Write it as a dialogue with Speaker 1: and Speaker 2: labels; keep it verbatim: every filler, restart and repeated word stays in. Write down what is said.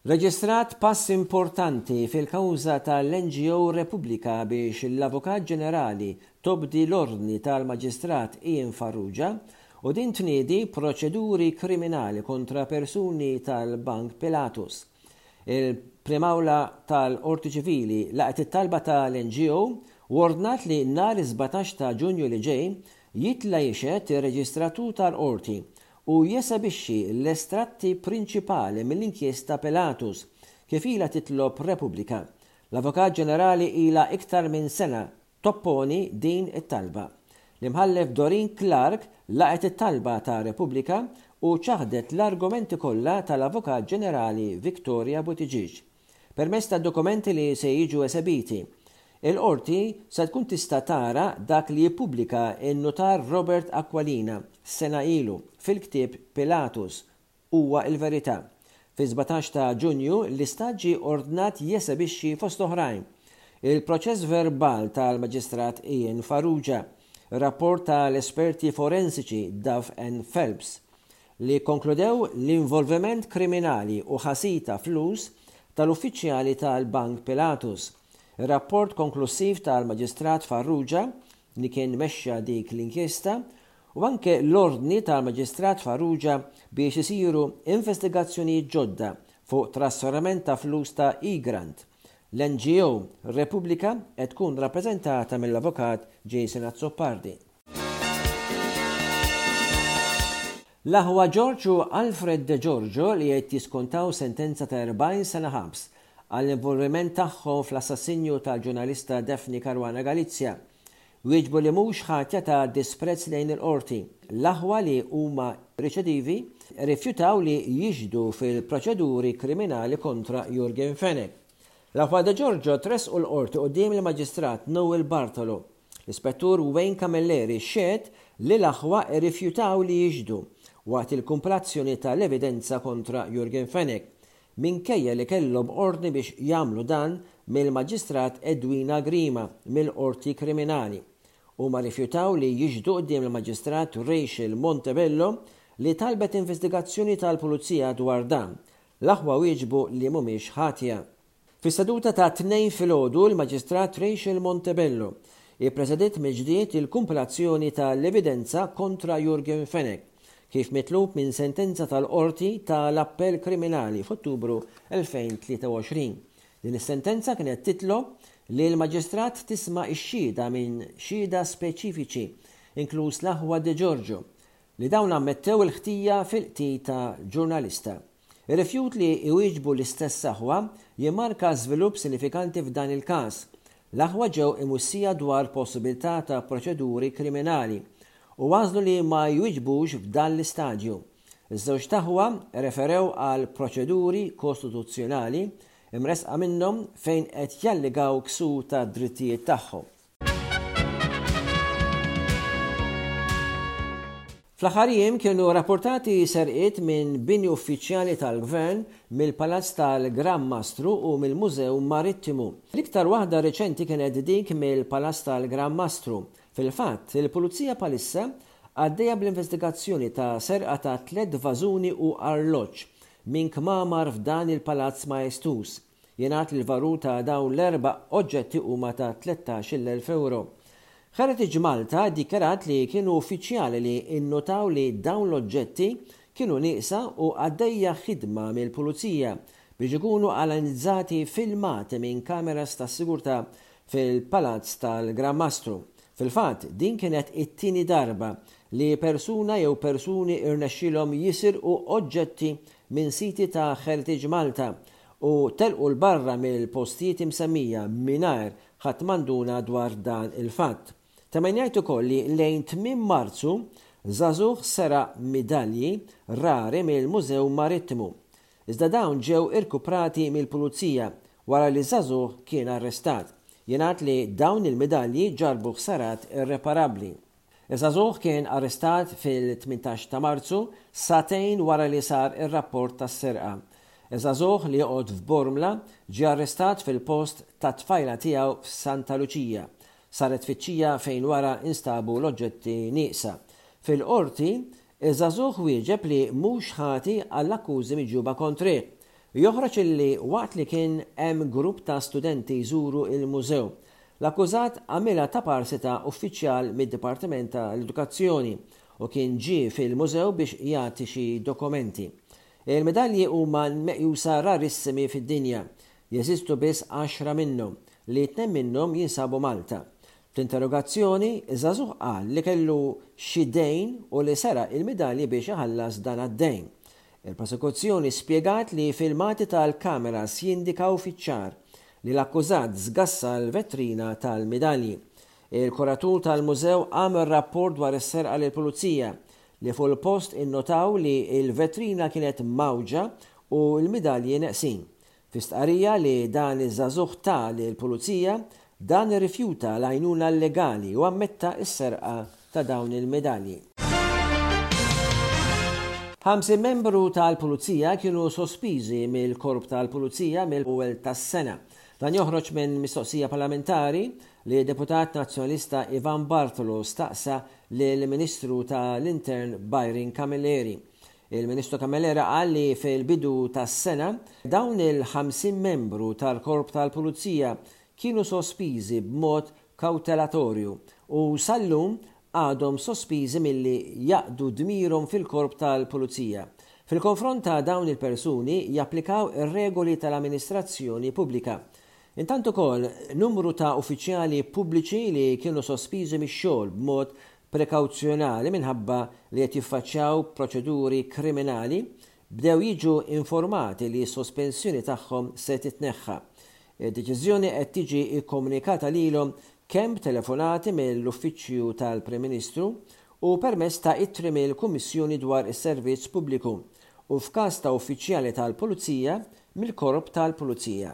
Speaker 1: Reġistrat pass importanti fil-kawża tal-N G O Repubblika biex l-Avukat Ġenerali tobdi l-ordni tal-Maġistrat Ian Farrugia u din tniedi proċeduri kriminali kontra persuni tal-Bank Pilatus. Il-Prim'Awla tal-Qorti Ċivili laqgħet it-talba tal-N G O u ordnat li nhar sbatax ta' Ġunju li ġej jitla' jixhed ir-reġistratur tal-qorti u jesebixxi l-estratti prinċipali mill-inkjesta Pilatus, kif ilha titlob Repubblika. L-Avukat Ġenerali ilha iktar minn sena topponi din it-talba. L-Imħallef Doreen Clarke laqgħet it-talba ta' Repubblika u ċaħdet l-argumenti kollha tal-Avukat Ġenerali Victoria Buttigieg. Permezz ta' dokumenti li se jiġu esebiti, il-qorti se tkun tista' tara dak li jippubblika n-notar Robert Aquilina sena ilu fil-ktieb Pilatus huwa il-verità. Fi sbatax ta' Ġunju l-istat ġie ordnat jesebixxi, fost oħrajn, il-proċess verbal tal-Maġistrat Ian Farrugia, rapport tal-esperti forensiċi Duff and Phelps li konkludew l-involviment kriminali u ħasil ta' flus tal-uffiċjali tal-Bank Pilatus, rapport konklusiv tal-Maġistrat Farrugia li kien mexxa dik l-inkjesta u anke l-ordni tal-Maġistrat Farrugia biex isiru investigazzjonijiet ġodda fuq trasferiment ta' flus ta' Egrant. L-N G O Repubblika qed tkun rappreżentata mill-Avukat Jason Azzopardi. L-aħwa George u Alfred De Giorgio, li qed jiskontaw sentenza ta' erbgħin sena ħabs għall-involviment tagħhom fl-assassinju tal-ġurnalista Daphne Caruana Galizia, wieġbu li mhux ħatja ta' disprezz lejn il-qorti. L-aħwa, li huma reċedivi, rifjutaw li jixhdu fil-proċeduri kriminali kontra Yorgen Fenech. L-aħwa De Giorgio tressqu l-qorti quddiem il-Maġistrat Noel Bartolo. L-Ispettur Wayne Camilleri xehed li l-aħwa rifjutaw li jixhdu waqt il-kumpilazzjoni tal-evidenza kontra Yorgen Fenech, minkejja li kellhom ordni biex jagħmlu dan mill-Maġistrat Edwina Grima mill-Qorti Kriminali. Huma rifjutaw li jixhdu quddiem il-Maġistrat Rachel Montebello, li talbet investigazzjoni tal-Pulizija dwar dan. L-aħwa wieġbu li mhumiex ħatja. Fis-seduta ta' Tnejn filgħodu, l-Maġistrat Rachel Montebello ippresedit mill-ġdid il-kumpilazzjoni tal-evidenza kontra Yorgen Fenech, kif mitlub minn sentenza tal-Qorti tal-Appell Kriminali f'Ottubru elfejn u tlieta u għoxrin. Din is-sentenza kienet titlob li l-Maġistrat tisma' x-xhieda minn xhieda speċifiċi, inkluż l-aħwa De Giorgio, li dawn ammettew il-ħtija fil-qtil ta' ġurnalista. Ir-rifjut li iwieġbu l-istess aħwa jimmarka żvilupp sinifikanti f'dan il-każ. L-aħwa ġew imwissija dwar possibilità ta' proċeduri kriminali u għażlu li ma jwiġbux f'dan l-istadju. Iż-żewġt aħwa referew għal proċeduri kostituzzjonali imresqa minnhom fejn qed jallegaw ksur ta' drittijiet tagħhom. Fl-aħħar jiem kienu rapportati serqiet minn bini uffiċjali tal-Gvern, mill-Palazz tal-Gran Mastru u mill-Mużew Marittimu. L-iktar waħda reċenti kienet dik mill-Palazz tal-Gran Mastru. Fil-fatt, il-Pulizija bħalissa għaddejja bl-investigazzjoni ta' serqa ta' tliet vażuni u arloġġ minn kmamar f'dan il-Palazz Maestuż. Jingħad li l-valur ta' dawn l-erba' oġġetti huma ta' tlettax-il elf euro. Heritage Malta dikjarat li kienu uffiċjali li innotaw li dawn l-oġġetti kienu nieqsa u għaddejja ħidma mill-pulizija biex ikunu analizzati filmati minn kameras ta' sigurtà fil-Palazz tal-Gran Mastru. Fil-fatt, din kienet it-tieni darba li persuna jew persuni irnexxilhom jisirqu oġġetti minn siti ta' Heritage Malta u telqu 'l barra mill-postijiet imsemmija mingħajr ħadd ma nduna dwar dan il-fatt. Ta' min jgħid ukoll li lejn tmiem Marzu żagħżugħ seraq midalji rari mill-Mużew Marittimu. Iżda dawn ġew irkuprati mill-pulizija wara li żagħżugħ kien arrestat. Jingħad li dawn il-medalji ġarbu ħsarat irreparabbli. Iż-żagħżugħ kien arrestat fil-tmintax ta' Marzu, sagħtejn wara li sar ir-rapport tas-serqa. Iż-żagħżugħ, li joqgħod f'Bormla, ġie arrestat fil-post ta' tfajla tiegħu f'Santa Luċija. Saret tfittxija fejn wara instabu l-oġġetti nieqsa. Fil-qorti, iż-żagħżugħ wieġeb li mhux ħati għall-akkużi miġjuba kontrih. Joħroġ illi waqt li kien hemm grupp ta' studenti jżuru il-mużew, l-akkużat għamilha ta' parsi ta' uffiċjal mid-Dipartiment tal-Edukazzjoni u kien ġie fil-mużew biex jagħti xi dokumenti. Il-medalji huma meqjusa rarissimi fid-dinja. Jeżistu biss għaxra minnhom, li tnejn minnhom jinsabu Malta. Fl-interrogazzjoni, iż-żagħżugħ qal li kellu xi dejn u li seraq il-medalji biex iħallas dan għad-dejn. Il-prosekuzzjoni spjegat li filmati tal-kameras jindikaw fiċ-ċar li l-akkużat żgassa l-vetrina tal-medalji. Il-kuratur tal-mużew għamel rapport dwar is-serqa lill-pulizija, li fuq il-post innotaw li l-vetrina kienet mgħawġa u l-midalji neqsin. Fi stqarrija li dan iż-żagħżugħ ta lill-pulizija, dan irrifjuta l-għajnuna legali u ammetta s-serqa ta' dawn il-medalji. Ħamsin membru tal-Pulizija kienu sospiżi mill-Korp tal-Pulizija mill-ewwel tas-sena. Dan joħroġ minn mistoqsija parlamentari li deputat nazzjonalista Ivan Bartolo staqsa lill-Ministru tal-Intern Byron Camilleri. Il-Ministru Camilleri qal li fil-bidu tas-sena dawn il-ħamsin membru tal-Korp tal-Pulizija kienu sospiżi b'mod kawtelatorju u sal-lum għadhom sospiżi milli jaqdu dmirhom fil-Korp tal-Pulizija. Fil-konfront ta' dawn il-persuni japplikaw ir-regoli tal-amministrazzjoni pubblika. Intant ukoll numru ta' uffiċjali pubbliċi li kienu sospiżi mix-xogħol b'mod prekawzjonali minħabba li qed jiffaċċjaw proċeduri kriminali bdew jiġu informati li s-sospensjoni tagħhom se titneħħa. Id-deċiżjoni qed tiġi kkomunikata lilhom kemm b'telefonati mill-Uffiċċju tal-Prim Ministru u permezz ta' ittri mill-Kummissjoni dwar is-Servizz Pubbliku u f'każ ta' uffiċjali tal-Pulizija mill-Korp tal-Pulizija.